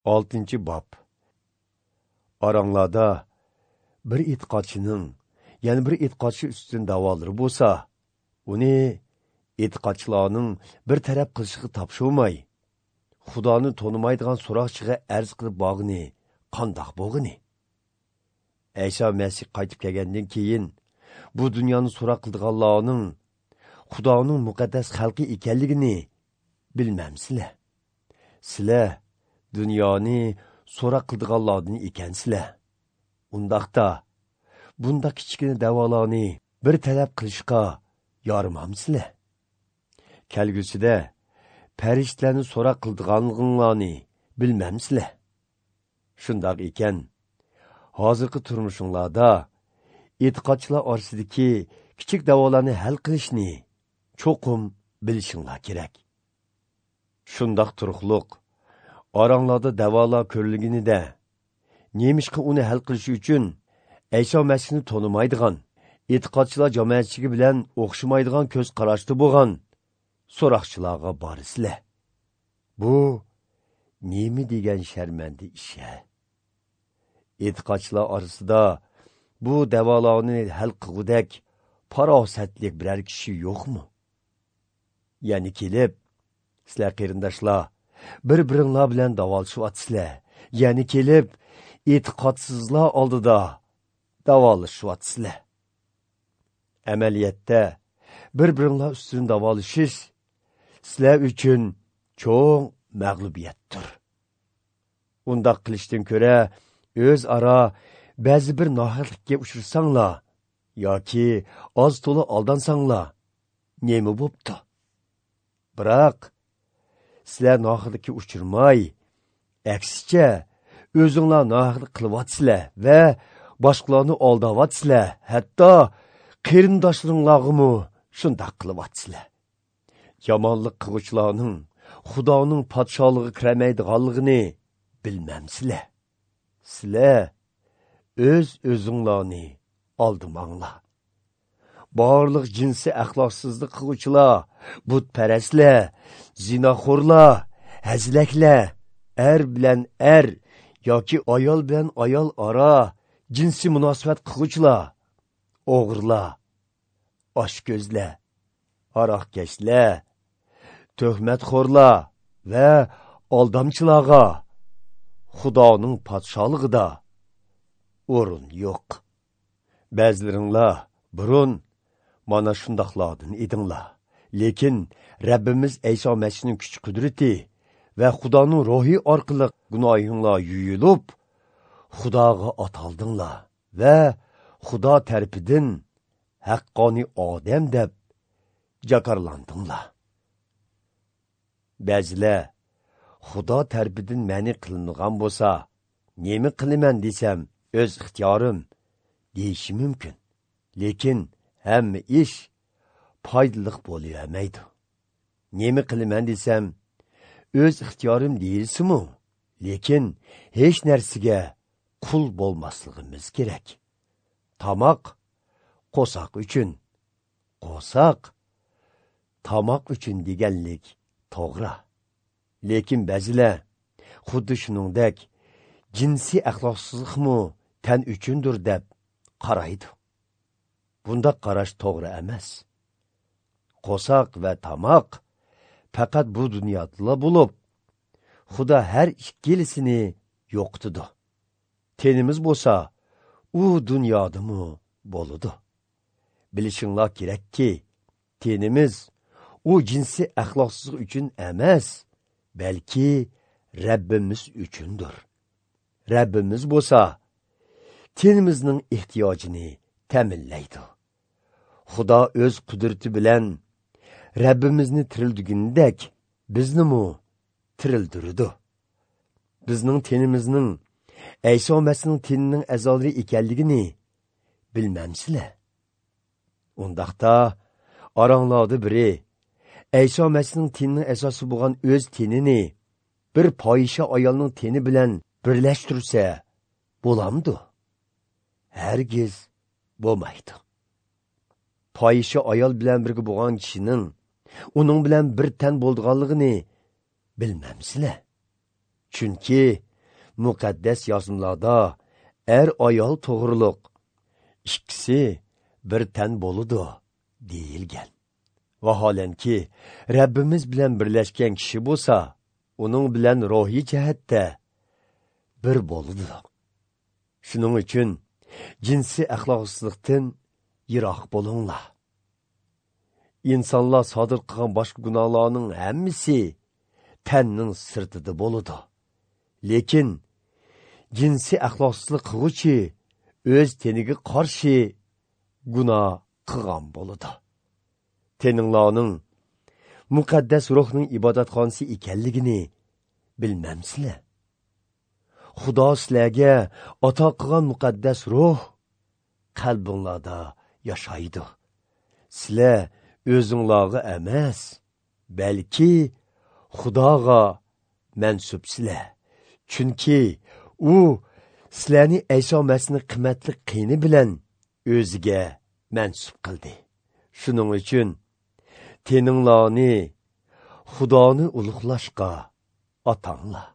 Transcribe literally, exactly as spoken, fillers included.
Oltinchi bob. Oranglarda bir e'tiqodchining yana bir e'tiqodchi ustidan da'volari bo'lsa, uni e'tiqodchilarning bir taraf qilishiga topshirmay, Xudoni tonimaydigan so'roqchiga arz qilib bog'ini qandoq bo'g'ini? Ayso Masih qaytib kelgandan keyin bu dunyoni so'roq qildiganlarning Xudoning muqaddas xalqi ekanligini bilmamsizlar. Sizlar dunyoni so'roq qildiganlardan ekansizlar. Undaqda bunda kichkina da'volarni bir talab qilishga yormamsizlar. Kelgusida farishtalarni so'roq qildiganliginglarni bilmamsizlar. Shundoq ekan, hozirgi turmushinglarda e'tiqodchilar orasidagi kichik da'volarni hal qilishni cho'qim bilishinglar kerak. Shundoq turuqliq oranglarda da'volar ko'rilganida nemishqa uni hal qilish uchun Ayso Masihni tonimaydigan, e'tiqodchilar jamoatchiligi bilan o'xshamaydigan ko'z qarashda bo'lgan so'roqchilarga borisizlar. Bu nima degan sharmanda ish? E'tiqodchilar orasida bu da'volarni hal qilgudek farosatli biror kishi yo'qmi? Ya'ni kelib, sizlar qarindoshlar bir-biringlar bilan da'volashyapsizlar. Ya'ni kelib, e'tiqodsizlar oldida da'volashyapsizlar. Amaliyotda bir-biringlar ustidan da'volashish sizlar uchun cho'ng mag'lubiyatdir. Undaq qilishdan ko'ra o'zaro ba'zi bir nohaqlikka uchrasanglar yoki oz to'la aldansanglar nima bo'pti? Biroq sizlar nohaqlikka uchirmay, aksicha o'zinglar nohaqlik qilyapsizlar va boshqalarni aldavyapsizlar, hatto qarindoshlaringlarga shundoq qilyapsizlar. Yomonlik qiluvchilarning Xudoning podsholig'iga kirmaydiganligini bilmamsizlar. Sizlar o'z o'zinglarni aldamanglar. Barliq jinsiy axloqsizlik qiluvchilar, butparastlar, zinoxo'rlar, hazilaklar, er bilan er yoki ayol bilan ayol aro jinsiy munosabat qiluvchilar, o'g'irlar, oshko'zlar, aroqkashlar, tuhmatxo'rlar va aldamchilarga Xudoning podsholig'ida o'rin yo'q. Ba'zilaringlar burun mana shundoqlardan edinglar. Lekin Rabbimiz Ayso Masihning kuch qudrati va Xudoning ruhi orqali gunohinglar yuyilib, Xudoga ataldinglar va Xudo tarafidan haqqoniy odam deb jakarlandinglar. Ba'zilar Xudo tarafidan ma'ni qilingan bo'lsa, nima qilaman desam o'z ixtiyorim deyishi mumkin. Lekin hamma ish foydali bo'lavermaydi. Nima qilaman desam o'z ixtiyorim deyilsimu, lekin hech narsaga qul bo'lmasligimiz kerak. Tomoq qo'saq uchun, qo'saq tomoq uchun deganlik to'g'ri. Lekin ba'zilar xuddi shuningdek jinsiy axloqsizlikmi tan uchundir deb qaraydi. Bunda qarash to'g'ri emas. Qo'saq va tomoq faqat bu dunyoda bo'lib, Xudo har ikkilisini yo'qitadi. Tenimiz bo'lsa, u dunyodami bo'ladi. Bilishinglar kerakki, tenimiz u jinsiy axloqsizlik uchun emas, balki Rabbimiz uchundir. Rabbimiz bo'lsa, tenimizning ehtiyojini ta'minlaydi. Xudo o'z qudrati bilan Rabbimizni tirildigindek biznimi tirildirdi. Bizning tenimizning Ayso Masihning tenining a'zolari ekanligini bilmamsizlar. Undaqda oranglarda biri Ayso Masihning tenining asosi bo'lgan o'z tenini bir fohisha ayolning teni bilan birlashtirsa bo'lamdi? Hargiz bo'lmaydi. Fohisha ayol bilan birga bo'lgan kishining uning bilan bir tan bo'lganligini bilmamsizlar. Chunki Muqaddas yozmalarda er ayol to'g'riliq ikkisi bir tan bo'ladi deyilgan. Vaholanki, Rabbimiz bilan birlashgan kishi bo'lsa, uning bilan ruhiy jihatda bir bo'ladi. Shuning uchun jinsiy axloqsizlikdan yiroq bo'linglar. Insonlar sodir qilgan boshqa gunohlarning hammasi tanning sirtida bo'ladi. Lekin jinsiy axloqsizlik qilguvchi o'z teniga qarshi gunoh qilgan bo'ladi. Teninglarning muqaddas ruhning ibodatxonasi ekanligini bilmamsizlar? Xudo sizlarga ato qilgan muqaddas ruh qalbinglarda yashaydi. Sizlar o'zinglarga emas, balki Xudoga mansubsizlar. Chunki u sizlarni Ayso Masihning qimmatli qini bilan o'ziga mansub qildi. Shuning uchun teninglarni Xudoni ulug'lashga atanglar.